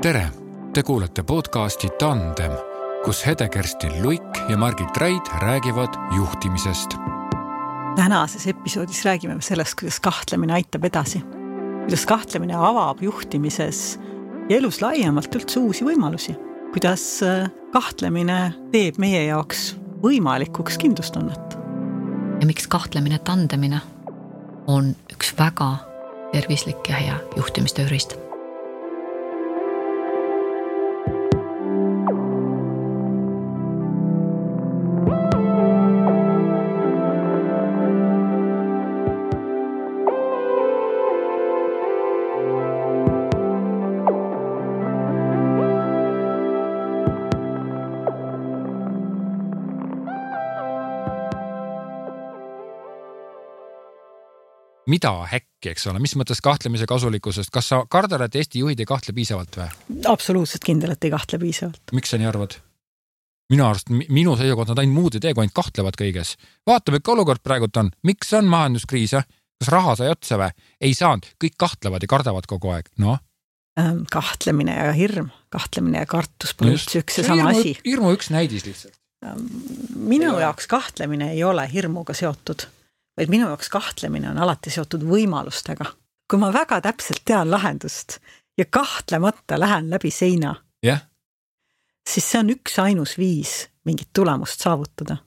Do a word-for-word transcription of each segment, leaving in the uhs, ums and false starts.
Tere! Te kuulete podcasti Tandem, kus Hede-Kerstin Luik ja Margit Raid räägivad juhtimisest. Tänases episoodis räägime sellest, kuidas kahtlemine aitab edasi. Kuidas kahtlemine avab juhtimises ja elus laiemalt üldse uusi võimalusi. Kuidas kahtlemine teeb meie jaoks võimalikuks kindlustunnet. Ja miks kahtlemine tandemine on üks väga tervislik ja hea juhtimistöörist. Mida häkki, eks ole? Mis mõttes kahtlemise kasulikkusest? Kas sa kardad, et Eesti juhid ei kahtle piisavalt või? Absoluutselt kindel, et ei kahtle piisavalt. Miks sa nii arvad? Minu arust, minu seisukoht nad ainult muud ei tee, kui ainult kahtlevad kõiges. Vaatame, ikka olukord praegult on. Miks on majanduskriis? Kas raha sai otsa või? Ei saanud. Kõik kahtlevad ja kardavad kogu aeg. No? Kahtlemine ja hirm. Kahtlemine ja kartus pole üldse üks ja sama hirmu, asi. Hirmu üks näidis lihtsalt. Minu jaoks kahtlemine ei ole hirmuga seotud. Vaid minu jaoks kahtlemine on alati seotud võimalustega. Kui ma väga täpselt tean lahendust ja kahtlemata lähen läbi seina, yeah. siis see on üks ainus viis mingit tulemust saavutada.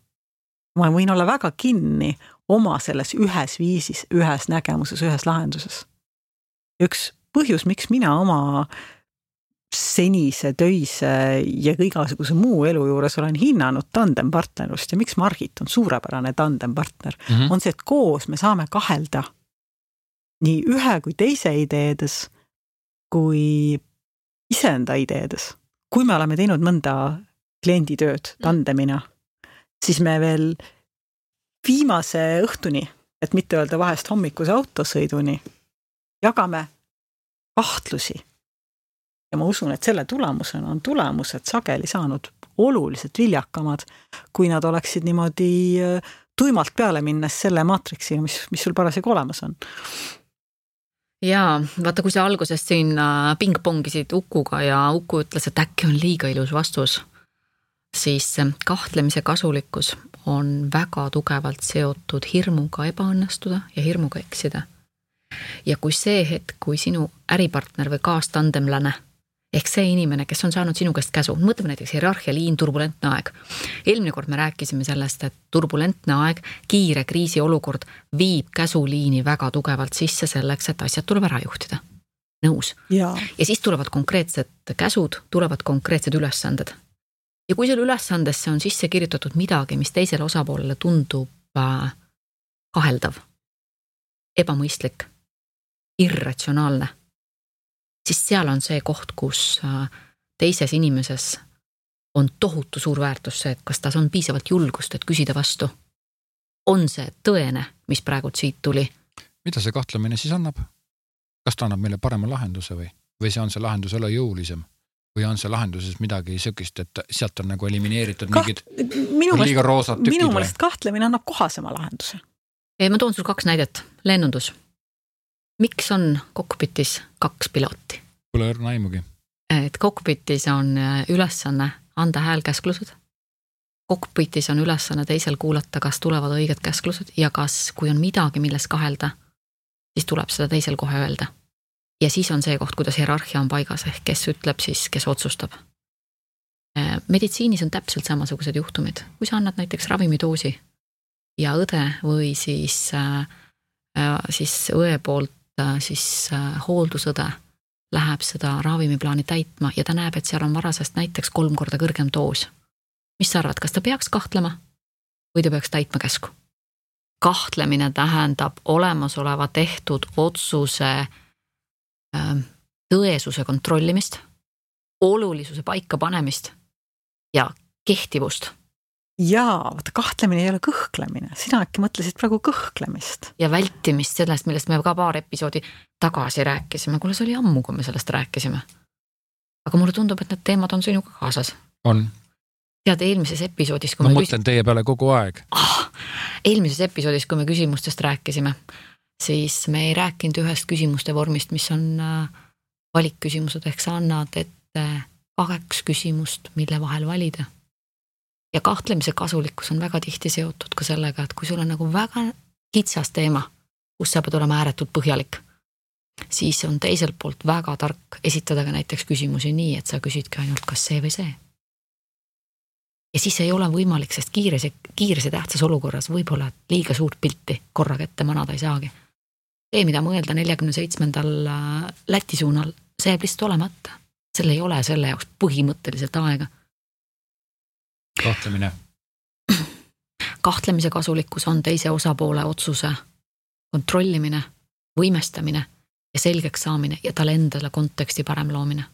Ma võin olla väga kinni oma selles ühes viisis, ühes nägemuses, ühes lahenduses. Üks põhjus, miks mina oma senise, töise ja igasuguse muu elu juures olen hinnanud tandempartnerlust ja miks Margit on suurepärane tandempartner, mm-hmm. on see, et koos me saame kahelda nii ühe kui teise ideedes kui iseenda ideedes. Kui me oleme teinud mõnda klienditööd tandemina, siis me veel viimase õhtuni, et mitte öelda vahest hommikuse autosõiduni, jagame kahtlusi. Ja ma usun, et selle tulemusena on tulemused sageli saanud oluliselt viljakamad, kui nad oleksid niimoodi tuimalt peale minnes selle maatriksiga, mis, mis sul parasjagu olemas on. Jaa, vaata, kui sa algusest siin pingpongisid Ukuga ja Uku ütles, et äkki on liiga ilus vastus, siis kahtlemise kasulikkus on väga tugevalt seotud hirmuga ebaõnnestuda ja hirmuga eksida. Ja kui see hetk, kui sinu äripartner või kaastandemlane ehk see inimene, kes on saanud sinu käest käsu. Mõtleme näiteks hierarhialiin, turbulentne aeg. Eelmine kord me rääkisime sellest, et turbulentne aeg, kiire kriisi olukord viib käsuliini väga tugevalt sisse selleks, et asjad tuleb ära juhtida. Nõus. Ja, ja siis tulevad konkreetsed käsud, tulevad konkreetsed ülesanded. Ja kui selle ülesandesse on sisse kirjutatud midagi, mis teisele osapoolele tundub kaheldav, ebamõistlik, irratsionaalne, siis seal on see koht, kus teises inimeses on tohutu suur väärtus see, et kas tas on piisavalt julgust, et küsida vastu. On see tõene, mis praegult siit tuli? Mida see kahtlemine siis annab? Kas ta annab meile parema lahenduse või? Või see on see lahendus ole jõulisem? Või on see lahenduses midagi sökist, et sealt on nagu elimineeritud Kaht... mingid liiga roosad tükid? Minu mõelest kahtlemine annab kohasema lahenduse. Ei, ma toon sul kaks näidet. Lennundus. Miks on kokpitis kaks pilooti? Pole õrna aimugi. Et kokpitis on ülesanne anda häälkäsklused. Kokpitis on ülesanne teisel kuulata, kas tulevad õiged käsklused ja kas, kui on midagi, milles kahelda, siis tuleb seda teisel kohe öelda. Ja siis on see koht, kuidas hierarhia on paigas, ehk kes ütleb siis, kes otsustab. Meditsiinis on täpselt samasugused juhtumid. Kui sa annad näiteks ravimidoosi ja õde või siis, siis õe poolt siis hooldusõde läheb seda ravimiplaani täitma ja ta näeb, et seal on varasest näiteks kolm korda kõrgem doos. Mis sa arvad, kas ta peaks kahtlema või ta peaks täitma käsku? Kahtlemine tähendab olemasoleva tehtud otsuse tõesuse kontrollimist, olulisuse paika panemist ja kehtivust. Jaa, vaata, kahtlemine ei ole kõhklemine. Sina äkki mõtlesid praegu kõhklemist. Ja vältimist sellest, millest me ka paar episoodi tagasi rääkisime. Kuule, see oli ammu, kui me sellest rääkisime. Aga mulle tundub, et need teemad on sinuga kaasas. On. Tead, eelmises episoodis... Kui ma me mõtlen küs... teie peale kogu aeg. Ah, eelmises episoodis, kui me küsimustest rääkisime, siis me ei rääkinud ühest küsimuste vormist, mis on valikküsimused, ehk sa annad ette ette kaks küsimust, mille vahel valida. Ja kahtlemise kasulikkus on väga tihti seotud ka sellega, et kui sul on nagu väga kitsas teema, kus sa pead olema ääretult põhjalik, siis on teiselt poolt väga tark esitada ka näiteks küsimusi nii, et sa küsidki ainult kas see või see. Ja siis ei ole võimalik, sest kiires ja, kiires ja tähtsas olukorras võib-olla liiga suurt pilti korraga ette manada ei saagi. See, mida mõelda neljakümne seitsmendal Läti suunal, see jääb lihtsalt olemata. Selle ei ole selle jaoks põhimõtteliselt aega. Kahtlemine. Kahtlemise kasulikkus on teise osapoole otsuse kontrollimine, võimestamine ja selgeks saamine ja talle endale konteksti parem loomine.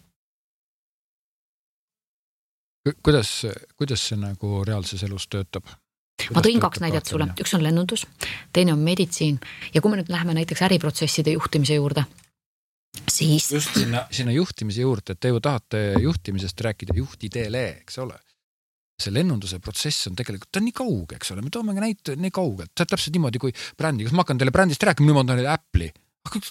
Kuidas, kuidas see nagu reaalses elus töötab? Kuidas ma tõin kaks näidet sulle, üks on lennundus, teine on meditsiin ja kui me nüüd läheme näiteks äriprotsesside juhtimise juurde, siis... Just sinna, sinna juhtimise juurde, et te ju tahate juhtimisest rääkida juhtidele, eks ole? See lennunduse protsess on tegelikult, ta on nii kauge, eks ole, me toome näite nii kaugelt, ta on täpselt niimoodi kui brändi, kas ma hakkan teile brändist rääkima, nüüd ma tahan Apple'i, aga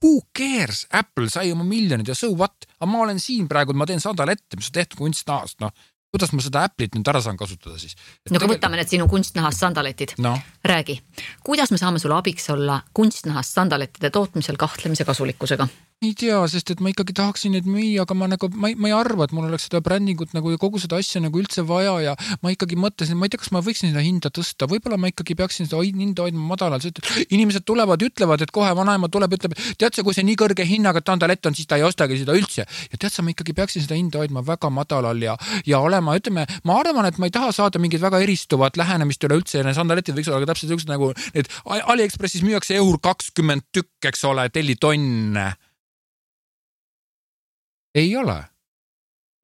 who cares, Apple sai oma miljonid ja so what, aga ma olen siin praegu, ma teen sadal ette, mis on tehtud kunstnahast, noh, kuidas ma seda Apple'it nüüd ära saan kasutada siis? Et no kui võtame need sinu kunstnahast sandaletid, no. Räägi, kuidas me saame sulle abiks olla kunstnahast sandalettide tootmisel kahtlemise kasulikkusega? Ei tea, sest et ma ikkagi tahaksin neid müüa, aga ma, nagu, ma, ei, ma ei arva, et mul oleks seda brändingut nagu ja kogu seda asja nagu üldse vaja ja ma ikkagi mõtlesin, ma ei tea, kas ma võiksin seda hinda tõsta, võib-olla ma ikkagi peaksin seda hinda hoidma madalal, sest inimesed tulevad, ütlevad, et kohe vanaema tuleb, ütleb, tead sa, kui see nii kõrge hinnaga tandalett on, siis ta ei ostagi seda üldse ja tead sa, ma ikkagi peaksin seda hinda hoidma väga madalal ja, ja olema, ütleme, ma arvan, et ma ei taha saada mingid väga eristuvat lähenemist üle üldse ja need sandaletid võiks olla täpselt üks nagu need AliExpressis müüakse eur kakskümmend tükk, eks ole, tellitonne. Ei ole.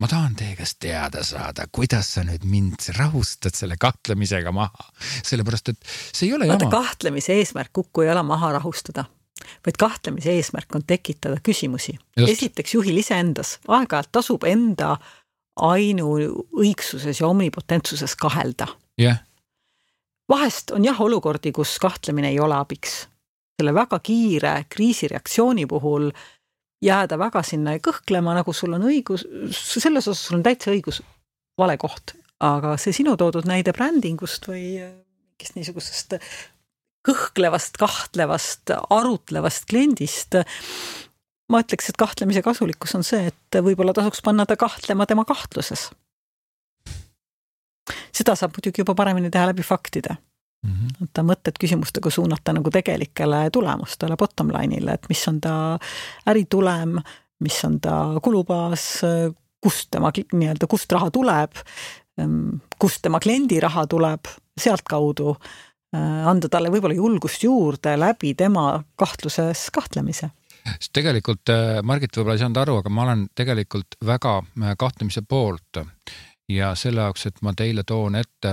Ma tahan teie käest teada saada, kuidas sa nüüd mind rahustad selle kahtlemisega maha. Sellepärast, et see ei ole Vaata, jama. Kahtlemise eesmärk kukku ei ole maha rahustada, vaid kahtlemise eesmärk on tekitada küsimusi. Just. Esiteks juhil ise endas. Aeg-ajalt tasub enda ainu õigsuses ja omnipotentsuses kahelda. Yeah. Vahest on jah olukordi, kus kahtlemine ei ole abiks. Selle väga kiire kriisireaktsiooni puhul jääda väga sinna ja kõhklema, nagu sul on õigus, selles osas sul on täitsa õigus vale koht, aga see sinu toodud näide brändingust või kes niisugusest kõhklevast, kahtlevast, arutlevast kliendist, ma ütleks, et kahtlemise kasulikkus on see, et võib-olla tasuks panna ta kahtlema tema kahtluses. Seda saab muidugi juba paremini teha läbi faktide. Mm-hmm. Ta mõtted küsimustega suunata nagu tegelikele tulemustele, bottom line'ile, et mis on ta äritulem, mis on ta kulubaas, kust tema nii-öelda, kust raha tuleb, kust tema kliendi raha tuleb, sealt kaudu anda talle võib-olla julgust juurde läbi tema kahtluses kahtlemise. Sest tegelikult, Margit võib-olla ei saanud aru, aga ma olen tegelikult väga kahtlemise poolt. Ja selle jaoks, et ma teile toon ette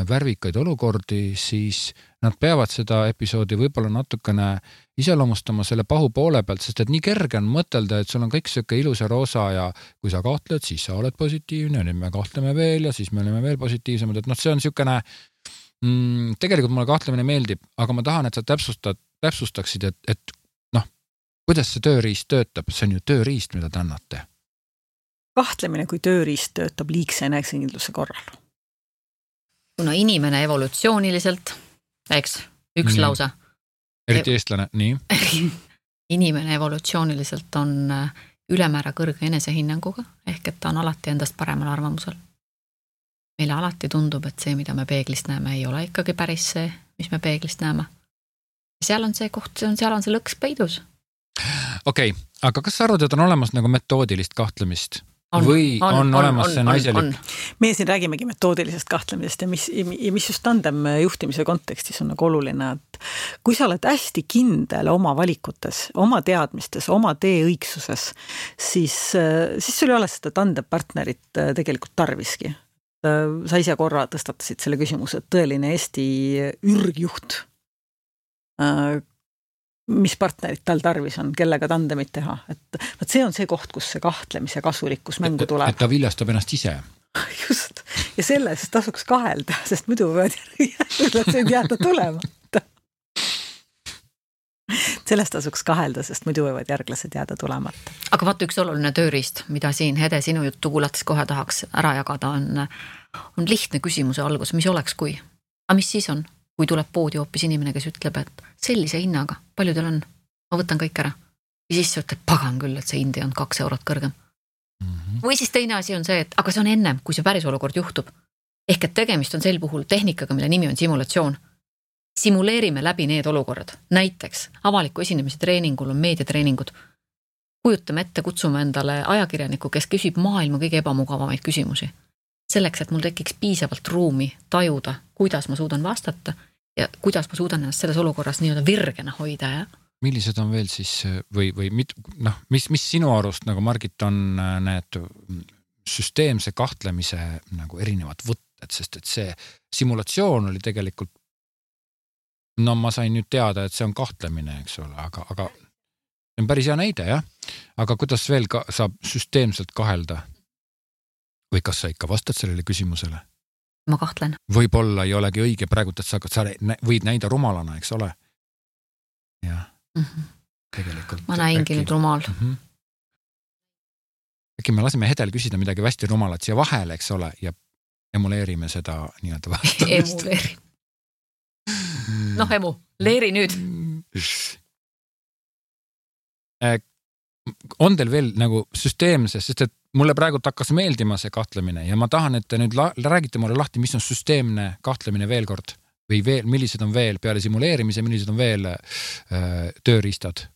värvikaid olukordi, siis nad peavad seda episoodi võib-olla natukene iseloomustama selle pahu poole pealt, sest et nii kerge on mõtelda, et sul on kõik söke ilus ja roosa ja kui sa kahtled, siis sa oled positiivne, nüüd me kahtleme veel ja siis me oleme veel positiivsemad, et noh, see on niisugune, mm, tegelikult mulle kahtlemine meeldib, aga ma tahan, et sa täpsustad, täpsustaksid, et, et noh, kuidas see tööriist töötab, see on ju tööriist, mida te annate. Kahtlemine kui tööriist töötab liigse enesekindluse korral. Kuna inimene evolutsiooniliselt, eks, üks nii. Lause. Eriti eestlane, nii. Inimene evolutsiooniliselt on ülemäära kõrge enesehinnanguga, ehk et ta on alati endast paremal arvamusel. Meile alati tundub, et see, mida me peeglist näeme, ei ole ikkagi päris see, mis me peeglist näeme. Seal on see koht, seal on see lõks peidus. Okei, okay, aga kas sa arvad, et on olemas nagu metoodilist kahtlemist? On, või on, on, on olemas on, see naiselik? Meie siin räägimegi metoodilisest kahtlemisest ja mis, ja mis just tandem juhtimise kontekstis on nagu oluline, et kui sa oled hästi kindel oma valikutes, oma teadmistes, oma tee õigsuses, siis, siis sul ei ole seda tandempartnerit tegelikult tarviski. Sa ise korra tõstatasid selle küsimuse, et tõeline Eesti ürgjuht, mis partnerid tal tarvis on, kellega tandemit teha. Et, et see on see koht, kus see kahtlemise kasulikkus mängu tuleb. Et ta viljastab ennast ise. Just. Ja sellest tasuks kahelda, sest muidu võivad jääda tulema. sellest tasuks kahelda, sest muidu võivad järglased jääda tulemata. Aga vaata üks oluline tööriist, mida siin Hede sinu juttu kuulates kohe tahaks ära jagada, on, on lihtne küsimuse algus, mis oleks kui? A mis siis on, kui tuleb poodi hoopis inimene, kes ütleb, et sellise hinnaga, palju teil on? Ma võtan kõik ära. Ja siis sa ütled, pagan küll, et see hindi on kaks eurot kõrgem. Mm-hmm. Või siis teine asi on see, et aga see on ennem, kui see päris olukord juhtub. Ehk et tegemist on sel puhul tehnikaga, mille nimi on simulatsioon. Simuleerime läbi need olukorrad. Näiteks avaliku esinemise treeningul on meediatreeningud. Kujutame ette, kutsume endale ajakirjaniku, kes küsib maailma kõige ebamugavamaid küsimusi. Selleks, et mul tekiks piisavalt ruumi tajuda, kuidas ma suudan vastata ja kuidas ma suudan ennast selles olukorras nii-öelda virgena hoida. Ja? Millised on veel siis või, või mit, noh, mis, mis sinu arust nagu Margit on need süsteemse kahtlemise nagu erinevad võtted, sest et see simulatsioon oli tegelikult, no ma sain nüüd teada, et see on kahtlemine, eks ole, aga, aga see on päris hea näide, jah? Aga kuidas veel ka, saab süsteemselt kahelda? Või kas sa ikka vastad sellele küsimusele? Ma kahtlen. Võib-olla ei olegi õige praegu, et sa, sa võid näida rumalana, eks ole? Jah, mm-hmm. tegelikult. Ma näingi äkki, nüüd rumal. Mm-hmm. Äkki me lasime Hedel küsida midagi hästi rumalat siia vahele, eks ole, ja emuleerime seda nii-öelda vastamist. Emuleeri. Noh, emu, leeri nüüd. On teil veel nagu süsteemses, sest et mulle praegu hakkas meeldima see kahtlemine ja ma tahan, et te nüüd la- räägite mulle lahti, mis on süsteemne kahtlemine veel kord või veel, millised on veel peale simuleerimise, millised on veel äh, tööriistad?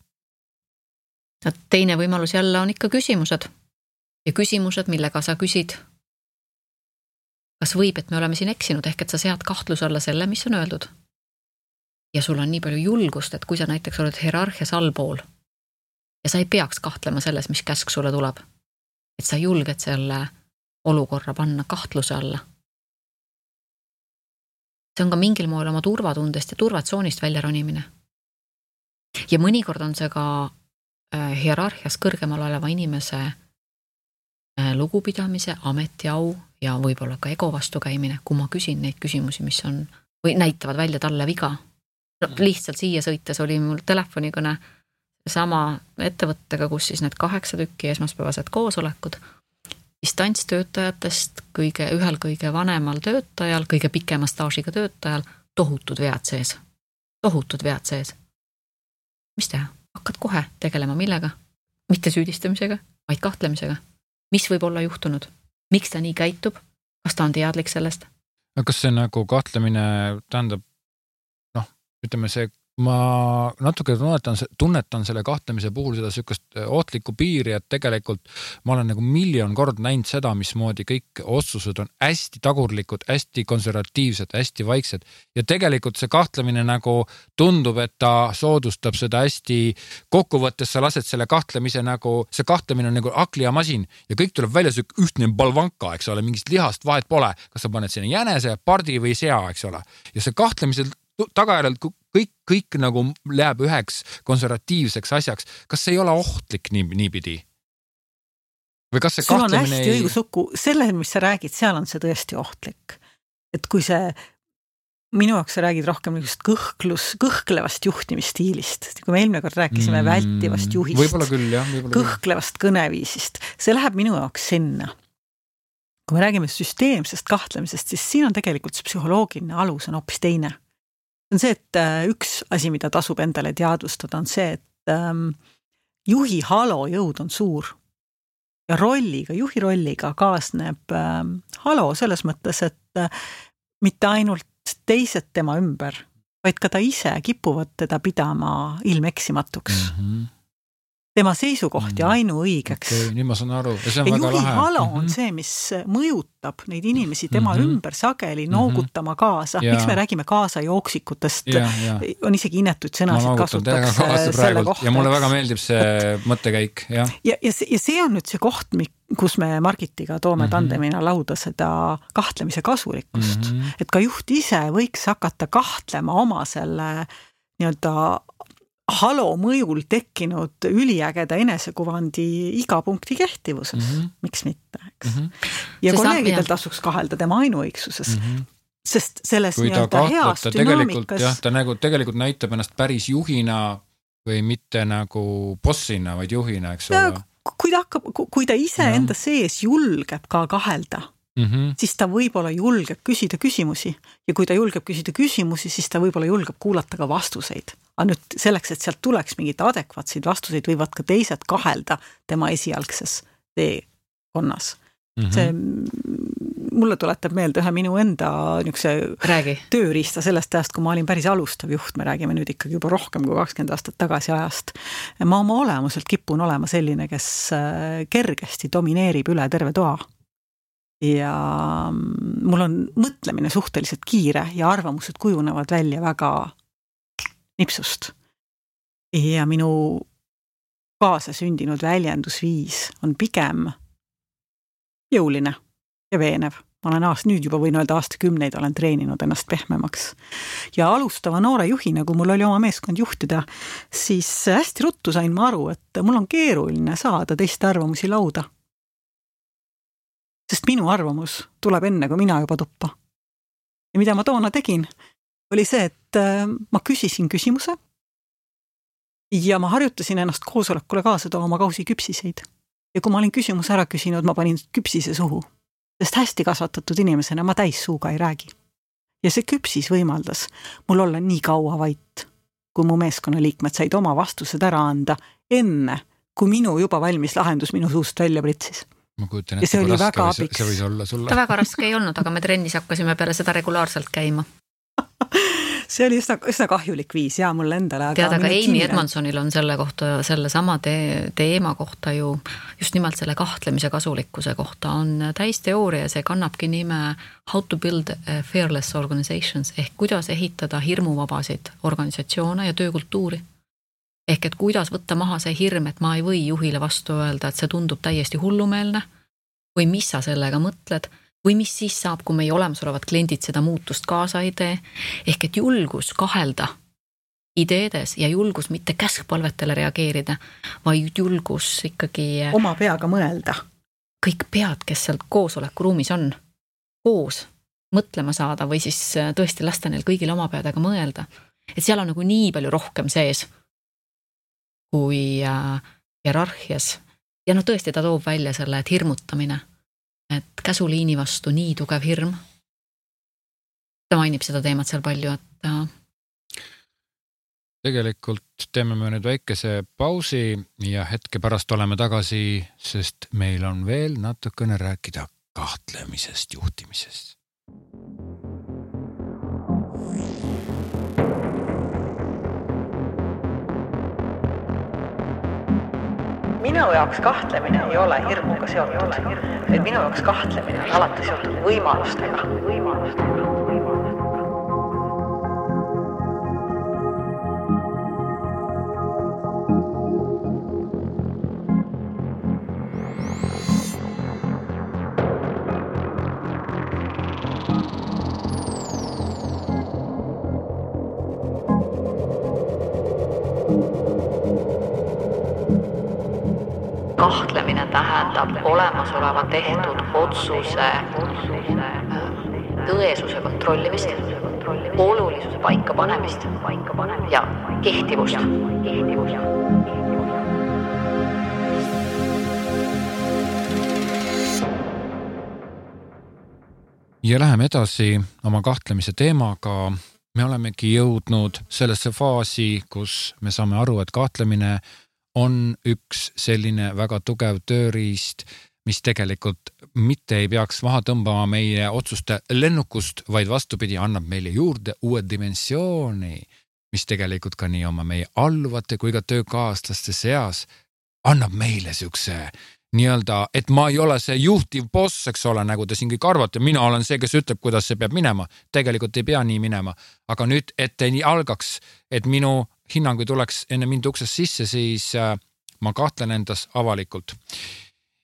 Teine võimalus jälle on ikka küsimused ja küsimused, millega sa küsid. Kas võib, et me oleme siin eksinud, ehk et sa sead kahtluse alla selle, mis on öeldud. Ja sul on nii palju julgust, et kui sa näiteks oled hierarhias allpool ja sa ei peaks kahtlema selles, mis käsk sulle tuleb, et sa julged selle olukorra panna kahtluse alla. See on ka mingil moel oma turvatundest ja turvatsoonist välja ronimine. Ja mõnikord on see ka hierarhias kõrgemal oleva inimese lugupidamise, ametiau ja võib-olla ka ego vastu käimine, kui ma küsin neid küsimusi, mis on, või näitavad välja talle viga. No, lihtsalt siia sõites oli mul telefonikõne sama ettevõttega, kus siis need kaheksa tükki esmaspäevased koosolekud, distantstöötajatest kõige, ühel kõige vanemal töötajal, kõige pikema staažiga töötajal, tohutud vead sees. Tohutud vead sees. Mis teha? Hakkad kohe tegelema millega? Mitte süüdistamisega, vaid kahtlemisega. Mis võib olla juhtunud? Miks ta nii käitub? Kas ta on teadlik sellest? Kas see nagu kahtlemine tähendab, noh, ütleme see, ma natuke tunnetan, tunnetan selle kahtlemise puhul seda sükast ohtlikku piiri, et tegelikult ma olen nagu miljon kord näinud seda, mismoodi kõik otsused on hästi tagurlikud, hästi konservatiivsed, hästi vaiksed ja tegelikult see kahtlemine nagu tundub, et ta soodustab seda hästi kokkuvõttes, sa lased selle kahtlemise nagu, see kahtlemine on nagu akliamasin ja kõik tuleb välja see ühtne balvanka, eks ole, mingist lihast vahet pole, kas sa paned sinna jänese, pardi või sea, eks ole, ja see kahtlemisel tagajärjel kõik, kõik nagu läheb üheks konservatiivseks asjaks. Kas see ei ole ohtlik nii, niipidi? Või kas see sul on kahtlemine hästi ei... õigusukku, selle, mis sa räägid, seal on see tõesti ohtlik. Et kui see, minu jaoks sa räägid rohkem kõhklus, kõhklevast juhtimisstiilist. Kui me eelmine kord rääkisime mm, vältivast juhist, võib-olla küll, jah, võib-olla kõhklevast küll. Kõneviisist, see läheb minu jaoks sinna. Kui me räägime süsteemsest kahtlemisest, siis siin on tegelikult see psühholoogiline alus on hoopis teine. On see, et üks asi, mida tasub endale teadvustada, on see, et ähm, juhi halo jõud on suur ja rolliga, juhi rolliga kaasneb ähm, halo selles mõttes, et äh, mitte ainult teised tema ümber, vaid ka ta ise kipuvad teda pidama ilmeksimatuks. Mm-hmm. Tema seisukoht ja ainuõigeks. Okay, nüüd ma saan aru. Ja see on ja väga juhi lahe. halo on see, mis mõjutab neid inimesi tema mm-hmm. ümber sageli noogutama kaasa. Ja. Miks me räägime kaasa jooksikutest? Ja, ja. On isegi inetuid sõnasid kasutaks selle kohta. Ja mulle väga meeldib see mõttekäik. Ja, ja, ja, see, ja see on nüüd see koht, kus me Margitiga toome mm-hmm. tandemina lauda seda kahtlemise kasulikkust. Mm-hmm. Et ka juht ise võiks hakata kahtlema oma selle nii-öelda halo mõjul tekkinud üliägeda enesekuvandi iga punkti kehtivuses. Mm-hmm. Miks mitte, eks? Mm-hmm. Ja see kolleegidel tasuks kahelda tema ainuõigsuses. Mm-hmm. Sest selles kui nii-öelda heas dünaamikas... Jah, ta nagu tegelikult näitab ennast päris juhina või mitte nagu bossina, vaid juhina, eks ole. Kui ta hakkab, kui ta ise ja. enda sees julgeb ka kahelda, mm-hmm. siis ta võib-olla julgeb küsida küsimusi ja kui ta julgeb küsida küsimusi, siis ta võib-olla julgeb kuulata ka vastuseid. Aga nüüd selleks, et sealt tuleks mingid adekvaatseid vastuseid, võivad ka teised kahelda tema esialgses teekonnas. Mm-hmm. See mulle tuletab meelde ühe minu enda niukse Räägi. tööriista sellest ajast, kui ma olin päris alustav juht, me räägime nüüd ikkagi juba rohkem kui kakskümmend aastat tagasi ajast. Ma oma olemuselt kipun olema selline, kes kergesti domineerib üle terve toa. Ja mul on mõtlemine suhteliselt kiire ja arvamused kujunevad välja väga nipsust. Ja minu kaasasündinud väljendusviis on pigem jõuline ja veenev. Ma olen aast, nüüd juba võin öelda aastakümneid olen treeninud ennast pehmemaks. Ja alustava noore juhina, kui mul oli oma meeskond juhtida, siis hästi ruttu sain ma aru, et mul on keeruline saada teiste arvamusi lauda. Sest minu arvamus tuleb enne, kui mina juba tuppa. Ja mida ma toona tegin, oli see, et ma küsisin küsimuse ja ma harjutasin ennast koosolekule kaasa tooma oma kausi küpsiseid. Ja kui ma olin küsimuse ära küsinud, ma panin küpsise suhu, sest hästi kasvatatud inimesena ma täis suuga ei räägi. Ja see küpsis võimaldas mul olla nii kaua vait, kui mu meeskonna liikmed said oma vastused ära anda enne, kui minu juba valmis lahendus minu suust välja pritsis. Ma kujutan, et see, oli raske, või see, see võis olla sulle. Ta väga raske ei olnud, aga me trennis hakkasime peale seda regulaarselt käima. See oli üsna, üsna kahjulik viis ja mulle endale. Tead, aga Amy Edmondsonil on selle kohta, selle sama te- teema kohta ju just nimelt selle kahtlemise kasulikkuse kohta on täisteooria, see kannabki nime How to build fearless organizations ehk kuidas ehitada hirmuvabasid organisatsioone ja töökultuuri. Ehk et kuidas võtta maha see hirm, et ma ei või juhile vastu öelda, et see tundub täiesti hullumeelne või mis sa sellega mõtled või mis siis saab, kui meie olemasolevad kliendid seda muutust kaasa ei tee, ehk et julgus kahelda ideedes ja julgus mitte käskpalvetele reageerida, vaid julgus ikkagi oma peaga mõelda. Kõik pead, kes seal koosolekuruumis on, koos mõtlema saada või siis tõesti lasta neil kõigil oma peadega mõelda. Et seal on nagu nii palju rohkem sees kui hierarhias. Ja no tõesti ta toob välja selle, et hirmutamine et käsuliini vastu nii tugev hirm. Ta mainib seda teemat seal palju, et tegelikult teeme me nüüd väikese pausi ja hetke pärast oleme tagasi, sest meil on veel natukene rääkida kahtlemisest, juhtimisest. Minu jaoks kahtlemine ei ole hirmuga seotud, et minu jaoks kahtlemine on alati seotud võimalustega. võimalustega. Kahtlemine tähendab olemasoleva tehtud otsuse tõesuse kontrollimist, olulisuse paika panemist ja kehtivust. Ja läheme edasi oma kahtlemise teemaga. Me olemegi jõudnud sellesse faasi, kus me saame aru, et kahtlemine on üks selline väga tugev tööriist, mis tegelikult mitte ei peaks maha tõmbama meie otsuste lennukust, vaid vastupidi annab meile juurde uue dimensiooni, mis tegelikult ka nii oma meie alluvate kui ka töökaaslaste seas annab meile siukse nii-öelda, et ma ei ole see juhtiv boss, eks ole, nagu te siin kõik arvate, mina olen see, kes ütleb, kuidas see peab minema. Tegelikult ei pea nii minema, aga nüüd, et nii algaks, et minu hinnangu tuleks enne mind uksest sisse, siis äh, ma kahtlen endas avalikult.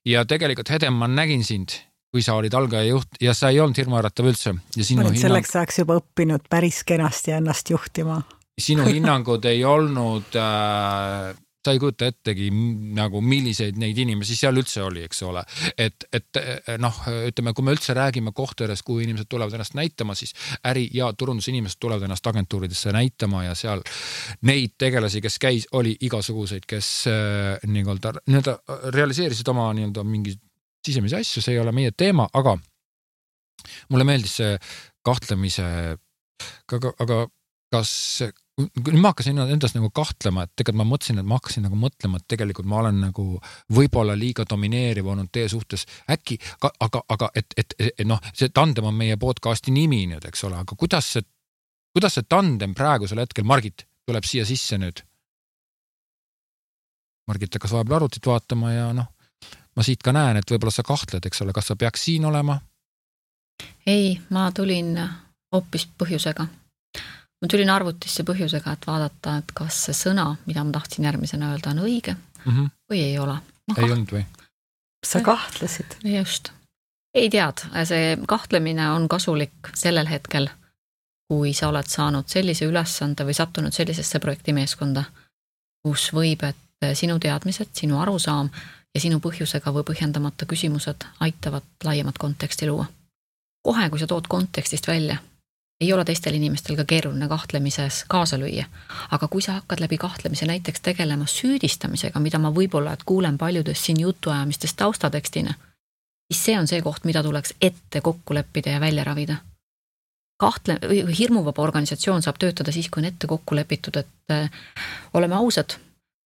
Ja tegelikult Hedem, ma nägin sind, kui sa olid algaja juht ja sa ei olnud hirmuäratav üldse. Ja sinu oled hinnang... selleks saaks juba õppinud päris kenasti ennast juhtima. Sinu hinnangud ei olnud, äh, sa ei kujuta ettegi nagu milliseid neid inimesi seal üldse oli, eks ole. Et, et noh, ütleme, kui me üldse räägime kohtades, kuhu inimesed tulevad ennast näitama, siis äri- ja turundusinimesed tulevad ennast agentuuridesse näitama ja seal neid tegelasi, kes käis, oli igasuguseid, kes nii-öelda, nii-öelda realiseerisid oma nii-öelda mingi sisemisi asju, see ei ole meie teema, aga mulle meeldis see kahtlemise, aga, aga kas, nüüd ma hakkasin endast nagu kahtlema, et tegelikult ma mõtlesin, et ma hakkasin nagu mõtlema, et tegelikult ma olen nagu võib-olla liiga domineeriv olnud teie suhtes, äkki, aga, aga et, et, et noh, see tandem on meie podcasti nimi nüüd, eks ole, aga kuidas see, kuidas see tandem praegusel hetkel, Margit, tuleb siia sisse nüüd? Margit hakkas vahepeal arvutit vaatama ja noh, ma siit ka näen, et võib-olla sa kahtled, eks ole, kas sa peaks siin olema? Ei, ma tulin hoopis põhjusega. Ma tulin arvutisse põhjusega, et vaadata, et kas see sõna, mida ma tahtsin järgmisena öelda, on õige mm-hmm. või ei ole. Ma ei olnud või? Sa kahtlesid? Just. Ei tead, see kahtlemine on kasulik sellel hetkel, kui sa oled saanud sellise ülesande või sattunud sellisesse projektimeeskonda, kus võib, et sinu teadmised, sinu arusaam ja sinu põhjusega või põhjendamata küsimused aitavad laiemat konteksti luua. Kohe, kui sa tood kontekstist välja, ei ole teistel inimestel ka keeruline kahtlemises kaasa lüüa. Aga kui sa hakkad läbi kahtlemise näiteks tegelema süüdistamisega, mida ma võib-olla et kuulen paljudest siin jutuajamistest taustatekstina, siis see on see koht, mida tuleks ette kokku leppida ja välja ravida. Kahtle, hirmuvaba organisatsioon saab töötada siis, kui on ette kokku lepitud, et äh, oleme ausad,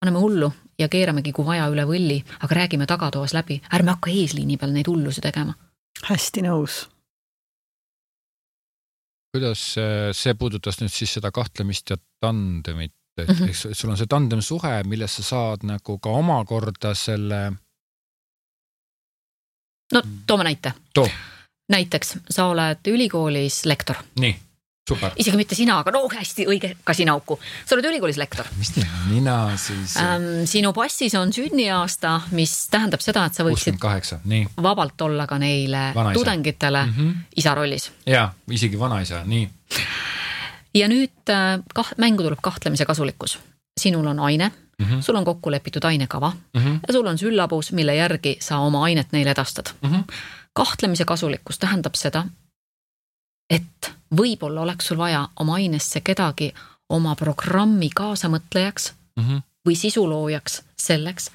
paneme hullu ja keeramegi kui vaja üle võlli, aga räägime tagatoas läbi, ärme hakka eesliini peal neid hullusi tegema. Hästi nõus. Kuidas see puudutas nüüd siis seda kahtlemist ja tandemit, et mm-hmm. eks sul on see tandem suhe, milles sa saad nagu ka omakorda selle... No toome näite. Too. Näiteks, sa oled ülikoolis lektor. Nii, super. Isegi mitte sina, aga no hästi õige, ka sina auku. Sa oled ülikoolis lektor. Mis nii, mina siis... Ähm, sinu passis on sünniaasta, mis tähendab seda, et sa võiksid kuuskümmend kaheksa, nii. Vabalt olla ka neile vanaisa. Tudengitele mm-hmm. isa rollis. Jaa, isegi vanaisa, nii. Ja nüüd kah, mängu tuleb kahtlemise kasulikkus. Sinul on aine, mm-hmm. sul on kokku lepitud ainekava mm-hmm. ja sul on süllabus, mille järgi sa oma ainet neile edastad. Mm-hmm. Kahtlemise kasulikkus tähendab seda, et võib-olla oleks sul vaja oma ainesse kedagi oma programmi kaasamõtlejaks mm-hmm. või sisuloojaks selleks,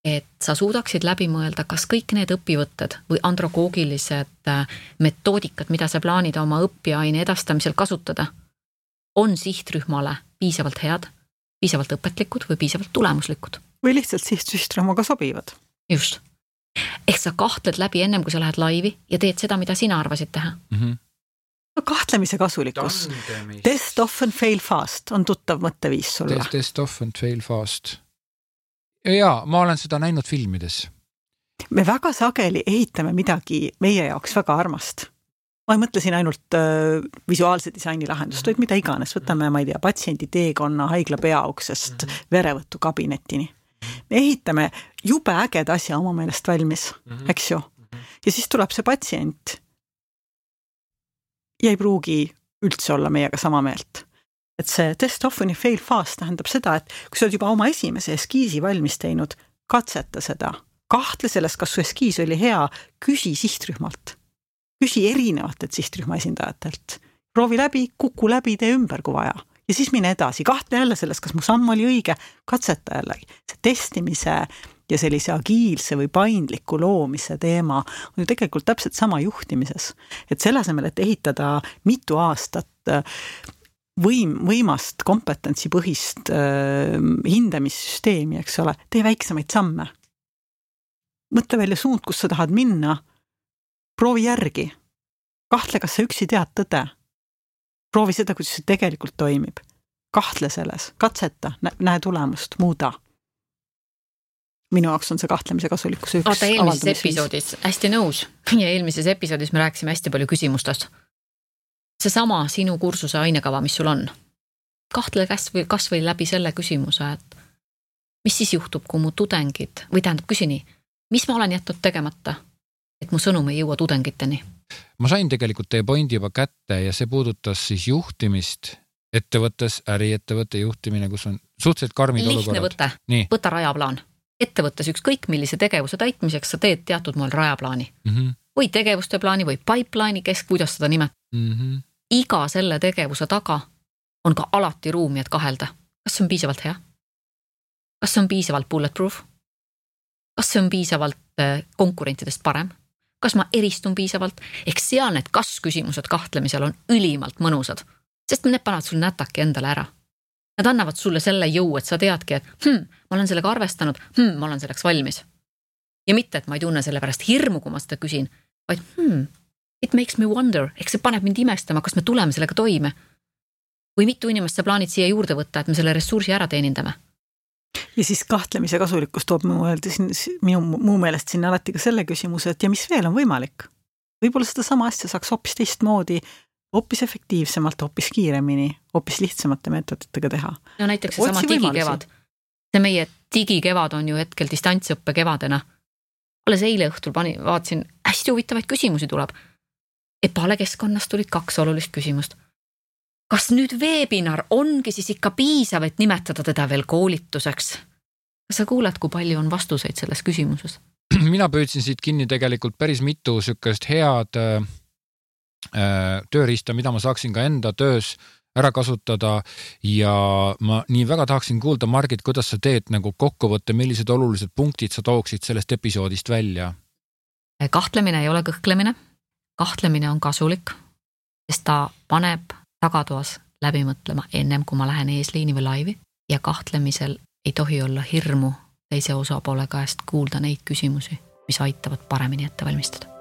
et sa suudaksid läbi mõelda, kas kõik need õpivõtted või androgoogilised metoodikad, mida sa plaanid oma õppiaine edastamisel kasutada, on sihtrühmale piisavalt head, piisavalt õpetlikud või piisavalt tulemuslikud. Või lihtsalt sihtrühmaga sobivad. Just. Ehk sa kahtled läbi ennem, kui sa lähed laivi ja teed seda, mida sina arvasid teha. Mm-hmm. No kahtlemise kasulikkus. Tandemist. Test often fail fast on tuttav mõtteviis sulle. Test, test often fail fast. Jaa, ma olen seda näinud filmides. Me väga sageli ehitame midagi meie jaoks väga armast. Ma ei mõtle siin ainult äh, visuaalse disaini lahendust, vaid mida iganes. Võtame, ma ei tea, patsiendi teekonna haigla peauksest mm-hmm. verevõtu kabinetini. Me ehitame jube äged asja oma meelest valmis, mm-hmm. eks ju. Ja siis tuleb see patsient ja ei pruugi üldse olla meiega sama meelt. Et see test often fail fast tähendab seda, et kui sa oled juba oma esimese eskiisi valmis teinud, katseta seda. Kahtle sellest, kas su eskiis oli hea, küsi sihtrühmalt. Küsi erinevatelt sihtrühma esindajatelt. Proovi läbi, kuku läbi, tee ümber kui vaja. Ja siis mine edasi, kahtle jälle sellest, kas mu samm oli õige, katseta jällegi. See testimise ja sellise agiilse või paindliku loomise teema on ju tegelikult täpselt sama juhtimises. Et selle asemel, et ehitada mitu aastat võim, võimast kompetentsipõhist äh, hindamissüsteemi, eks ole, tee väiksemaid samme. Mõtle välja suund, kus sa tahad minna, proovi järgi. Kahtle, kas sa üksi tead tõde. Proovi seda, kuidas see tegelikult toimib. Kahtle selles, katseta, näe tulemust, muuda. Minu jaoks on see kahtlemise kasulikkus üks. Oota, eelmises episoodis, hästi nõus, ja eelmises episoodis me rääkisime hästi palju küsimustest. See sama sinu kursuse ainekava, mis sul on. Kahtle kas või, kas või läbi selle küsimuse, et mis siis juhtub, kui mu tudengid, või tähendab küsini, mis ma olen jätnud tegemata, et mu sõnum ei jõua tudengiteni? Ma sain tegelikult teie pointi juba kätte ja see puudutas siis juhtimist ettevõttes, äriettevõtte juhtimine, kus on suhteliselt karmid lihtne olukorrad. Võte, võta rajaplaan. Ettevõttes ükskõik millise tegevuse täitmiseks sa teed teatud moel rajaplaani. Mm -hmm. Või tegevuste plaani või pipeline'i, kes kuidas seda nimetab. Mm -hmm. Iga selle tegevuse taga on ka alati ruumi, et kahelda. Kas see on piisavalt hea? Kas see on piisavalt bulletproof? Kas see on piisavalt konkurentidest parem? Kas ma eristun piisavalt? Ehk seal need kas-küsimused kahtlemisel on ülimalt mõnusad, sest need panevad sul nätaki endale ära. Nad annavad sulle selle jõu, et sa teadki, et hm, ma olen sellega arvestanud, hm, ma olen selleks valmis. Ja mitte, et ma ei tunne selle pärast hirmu, kui ma seda küsin, vaid hmm, it makes me wonder, ehk see paneb mind imestama, kas me tuleme sellega toime. Või mitu inimest sa plaanid siia juurde võtta, et me selle ressursi ära teenindame. Ja siis kahtlemise kasulikkus toob minu, minu muu meelest sinna alati ka selle küsimuse, et ja mis veel on võimalik? Võib-olla seda sama asja saaks hoopis teistmoodi, hoopis efektiivsemalt, hoopis kiiremini, hoopis lihtsamate meetoditega teha. No näiteks see sama digikevad. See meie digikevad on ju hetkel distantsõppe kevadena. Alles eile õhtul pani, vaatasin, hästi huvitavaid küsimusi tuleb. Epale keskkonnast tulid kaks olulist küsimust. Kas nüüd webinar ongi siis ikka piisav, et nimetada teda veel koolituseks? Kas sa kuuled, kui palju on vastuseid selles küsimuses? Mina püüdsin siit kinni tegelikult päris mitu sükest head äh, tööriista, mida ma saaksin ka enda töös ära kasutada ja ma nii väga tahaksin kuulda, Margit, kuidas sa teed nagu kokkuvõtte, millised olulised punktid sa tooksid sellest episoodist välja? Kahtlemine ei ole kõhklemine. Kahtlemine on kasulik, sest ta paneb tagatoas läbi mõtlema ennem, kui ma lähen eesliini või laivi ja kahtlemisel ei tohi olla hirmu teise osapoole käest kuulda neid küsimusi, mis aitavad paremini ette valmistada.